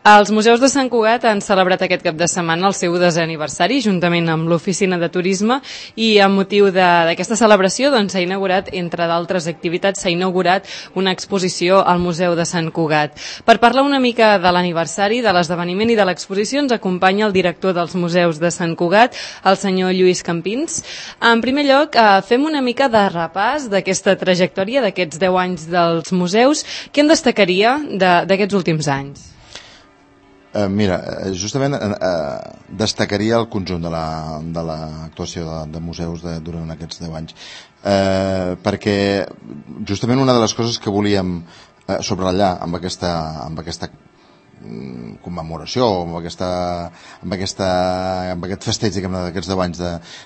Els museus de Sant Cugat han celebrat aquest cap de setmana el seu 10è aniversari juntament amb l'Oficina de Turisme i amb motiu d'aquesta celebració s'ha inaugurat, entre d'altres activitats, s'ha inaugurat una exposició al Museu de Sant Cugat. Per parlar una mica de l'aniversari, de l'esdeveniment i de l'exposició ens acompanya el director dels museus de Sant Cugat, el senyor Lluís Campins. En primer lloc, fem una mica de repàs d'aquesta trajectòria d'aquests 10 anys dels museus. Què en destacaria d'aquests últims anys? Mira, justament destacaria el conjunt de l'actuació de museus durant aquests 10 anys, perquè justament una de les coses que volíem subratllar amb aquesta commemoració, amb aquest festeig, diguem-ne, d'aquests 10 anys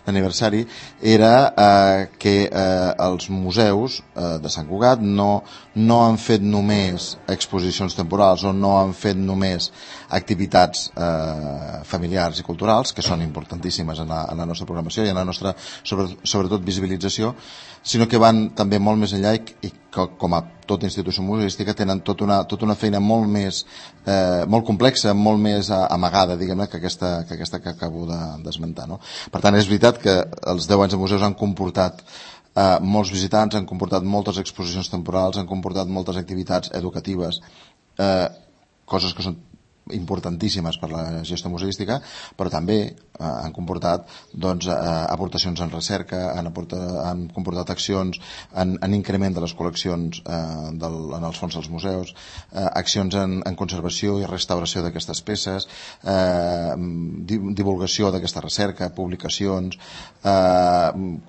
d'aniversari, era que els museus de Sant Cugat no han fet només exposicions temporals o no han fet només activitats familiars i culturals, que són importantíssimes en la nostra programació i en la nostra, sobretot, visibilització, sinó que van també molt més enllà i com a tota institució museística tenen tota una feina molt complexa, molt més amagada, diguem-ne, que aquesta que acabo d'esmentar, no? Per tant, és veritat que els 10 anys de museus han comportat molts visitants, han comportat moltes exposicions temporals, han comportat moltes activitats educatives, coses que són importantíssimes per la gestió museística, però també han comportat aportacions en recerca, han comportat accions en increment de les col·leccions en els fons dels museus, accions en conservació i restauració d'aquestes peces, divulgació d'aquesta recerca, publicacions,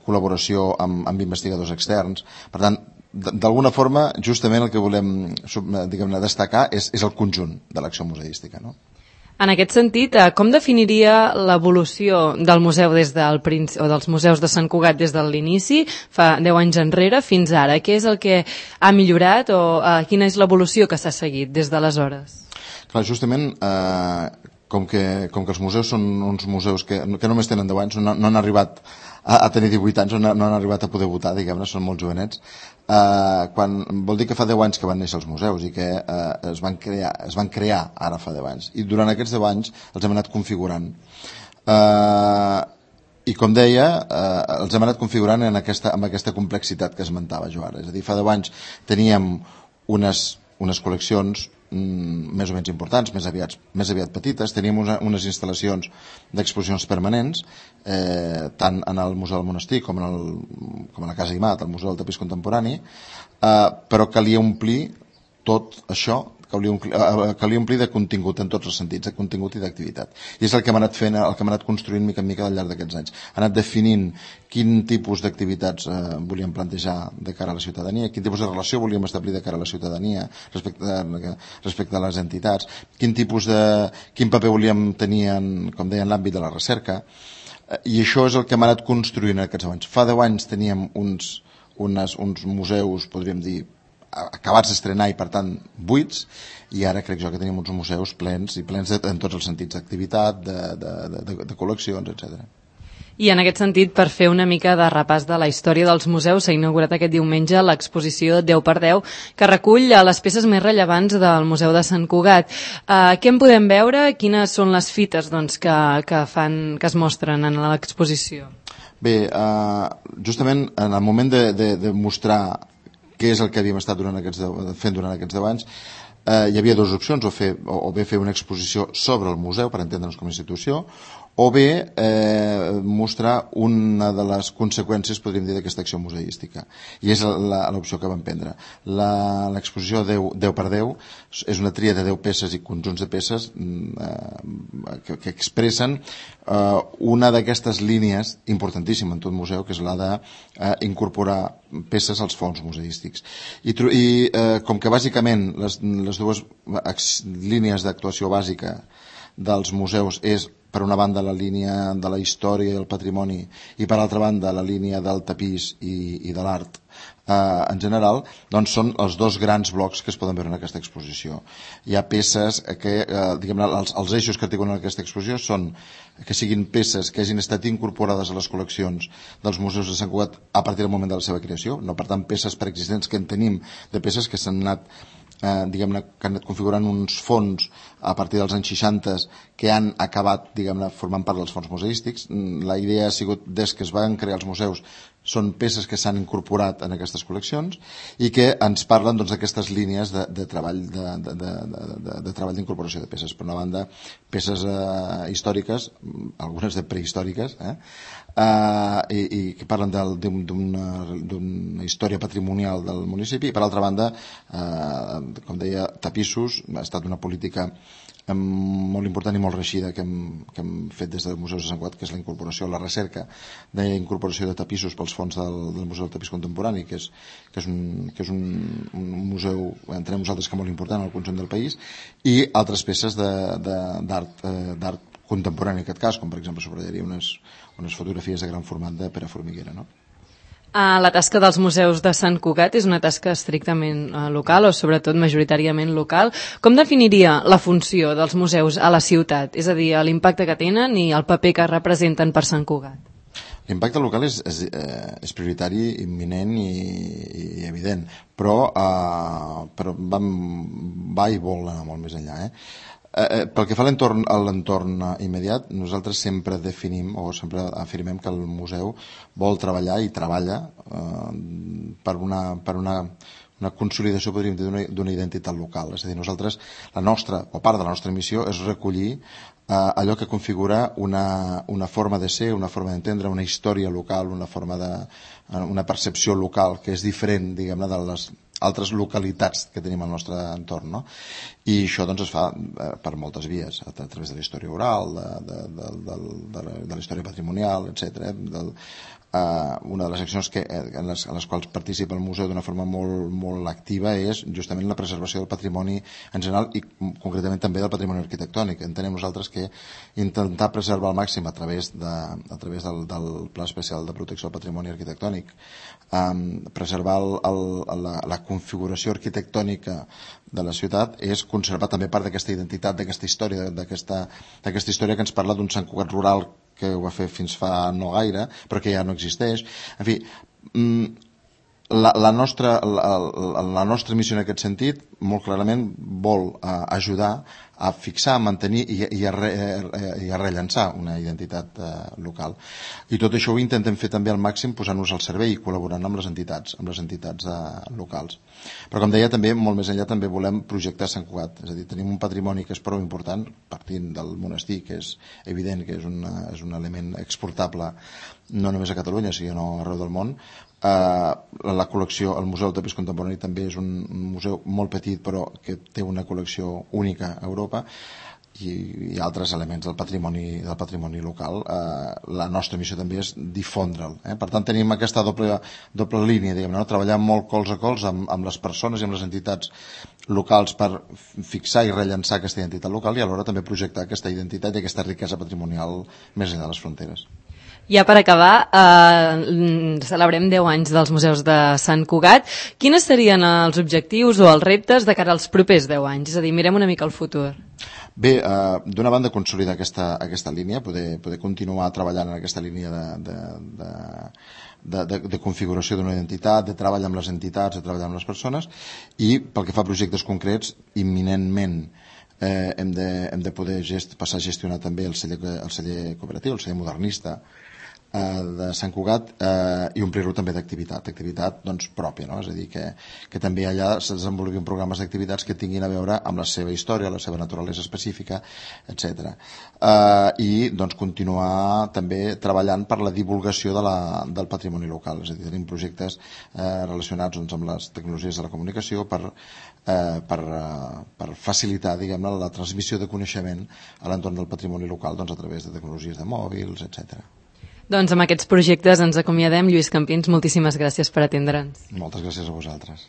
col·laboració amb investigadors externs. Per tant, d'alguna forma, justament el que volem, diguem-ne, destacar és el conjunt de l'acció museística, no? En aquest sentit, com definiria l'evolució del museu o dels museus de Sant Cugat des de l'inici, fa 10 anys enrere, fins ara? Què és el que ha millorat o quina és l'evolució que s'ha seguit des d'aleshores? Clar, justament, com que els museus són uns museus que només tenen 10 anys, no han arribat a tenir 18 anys, no han arribat a poder votar, diguem-ne, són molt jovenets. Vol dir que fa 10 anys que van néixer els museus i que es van crear ara fa 10 anys. I durant aquests 10 anys els hem anat configurant. I com deia, els hem anat configurant amb aquesta complexitat que esmentava jo ara. És a dir, fa 10 anys teníem unes col·leccions més o menys importants, més aviat petites. Teníem unes instal·lacions d'exposicions permanents, tant en el Museu del Monestir com a la Casa Guimat, al Museu del Tapís Contemporani, però calia omplir tot això, calia omplir de contingut en tots els sentits, de contingut i d'activitat. I és el que hem anat fent, el que hem anat construint mica en mica al llarg d'aquests anys. Hem anat definint quin tipus d'activitats volíem plantejar de cara a la ciutadania, quin tipus de relació volíem establir de cara a la ciutadania respecte a les entitats, quin paper volíem tenir com deia, en l'àmbit de la recerca, i això és el que hem anat construint aquests anys. Fa 10 anys teníem uns museus, podríem dir, acabats d'estrenar i per tant buits, i ara crec jo que tenim uns museus plens en tots els sentits d'activitat, de col·leccions, etc. I en aquest sentit, per fer una mica de repàs de la història dels museus, s'ha inaugurat aquest diumenge l'exposició 10x10, que recull les peces més rellevants del Museu de Sant Cugat. Què en podem veure? Quines són les fites que es mostren en l'exposició? Bé, justament en el moment de mostrar què és el que havíem estat fent durant aquests 10 anys, hi havia dues opcions, o bé fer una exposició sobre el museu per entendre'ns com a institució, o bé mostrar una de les conseqüències, podríem dir, d'aquesta acció museística. I és l'opció que vam prendre. L'exposició 10x10 és una tria de 10 peces i conjunts de peces que expressen una d'aquestes línies importantíssima en tot museu, que és la d'incorporar peces als fons museístics. I com que bàsicament les dues línies d'actuació bàsica dels museus és, per una banda, la línia de la història i el patrimoni i, per altra banda, la línia del tapís i de l'art en general, doncs són els dos grans blocs que es poden veure en aquesta exposició. Hi ha peces que, diguem-ne, els eixos que articulen aquesta exposició són que siguin peces que hagin estat incorporades a les col·leccions dels museus de Sant Cugat a partir del moment de la seva creació, no, per tant, peces preexistents, que en tenim de peces que s'han anat diguem-ne, que han anat configurant uns fons a partir dels anys 60 que han acabat, diguem-ne, formant part dels fons museístics. La idea ha sigut, des que es van crear els museus, són peces que s'han incorporat en aquestes col·leccions i que ens parlen d'aquestes línies de treball de treball d'incorporació de peces. Per una banda, peces històriques, algunes de prehistòriques, i que parlen d'una història patrimonial del municipi, i per altra banda, com deia, tapissos. Ha estat una política molt important i molt reeixida que hem fet des del Museu de Sant Cugat, que és la incorporació, la recerca d'incorporació de tapissos pels fons del Museu del Tapís Contemporani, que és un museu, entenem nosaltres, que molt important al conjunt del país, i altres peces d'art contemporani, en aquest cas, com per exemple sobrallaria unes fotografies de gran format de Pere Formiguera, no? La tasca dels museus de Sant Cugat és una tasca estrictament local o sobretot majoritàriament local. Com definiria la funció dels museus a la ciutat? És a dir, l'impacte que tenen i el paper que representen per Sant Cugat. L'impacte local és prioritari, imminent i evident, però va i vol anar molt més enllà. Pel que fa a l'entorn immediat, nosaltres sempre definim o sempre afirmem que el museu vol treballar i treballa per una consolidació, podríem dir, d'una identitat local. És a dir, nosaltres, part de la nostra missió és recollir allò que configura una forma de ser, una forma d'entendre, una història local, una percepció local que és diferent, diguem-ne, de les altres localitats que tenim al nostre entorn, no? I això doncs es fa per moltes vies, a través de la història oral, de la història patrimonial, etc. Una de les accions en les quals participa el museu d'una forma molt activa és justament la preservació del patrimoni en general i concretament també del patrimoni arquitectònic. Entenem nosaltres que intentar preservar al màxim a través del Pla Especial de Protecció del Patrimoni Arquitectònic, preservar la configuració arquitectònica de la ciutat és conservar també part d'aquesta identitat, d'aquesta història que ens parla d'un Sant Cugat rural que ho va fer fins fa no gaire, però que ja no existeix. En fi, la nostra missió en aquest sentit, molt clarament, vol ajudar a fixar, a mantenir i a rellançar una identitat local. I tot això ho intentem fer també al màxim posant-nos al servei i col·laborant amb les entitats locals. Però com deia, també molt més enllà també volem projectar Sant Cugat. És a dir, tenim un patrimoni que és prou important, partint del monestir, que és evident que és un element exportable no només a Catalunya, sinó arreu del món. La col·lecció, el Museu del Tapís Contemporani també és un museu molt petit però que té una col·lecció única a Europa i altres elements del patrimoni local. La nostra missió també és difondre'l. Per tant, tenim aquesta doble línia, diguem-ne, treballar molt colze a colze amb les persones i amb les entitats locals per fixar i rellançar aquesta identitat local i alhora també projectar aquesta identitat i aquesta riquesa patrimonial més enllà de les fronteres. Ja per acabar, celebrem 10 anys dels museus de Sant Cugat. Quines serien els objectius o els reptes de cara als propers 10 anys? És a dir, mirem una mica al futur. Bé, d'una banda, consolidar aquesta línia, poder continuar treballant en aquesta línia de configuració d'una identitat, de treball amb les entitats, de treballar amb les persones, i pel que fa a projectes concrets, imminentment hem de poder passar a gestionar també el celler cooperatiu, el celler modernista de Sant Cugat, i omplir-lo també d'activitat doncs pròpia, no? És a dir, que també allà es desenvolupin programes d'activitats que tinguin a veure amb la seva història, la seva naturalesa específica, etc. I doncs continuar també treballant per la divulgació del patrimoni local, és a dir, tenim projectes relacionats amb les tecnologies de la comunicació per facilitar, diguem-ne, la transmissió de coneixement a l'entorn del patrimoni local a través de tecnologies de mòbils, etc. Doncs amb aquests projectes ens acomiadem. Lluís Campins, moltíssimes gràcies per atendre'ns. Moltes gràcies a vosaltres.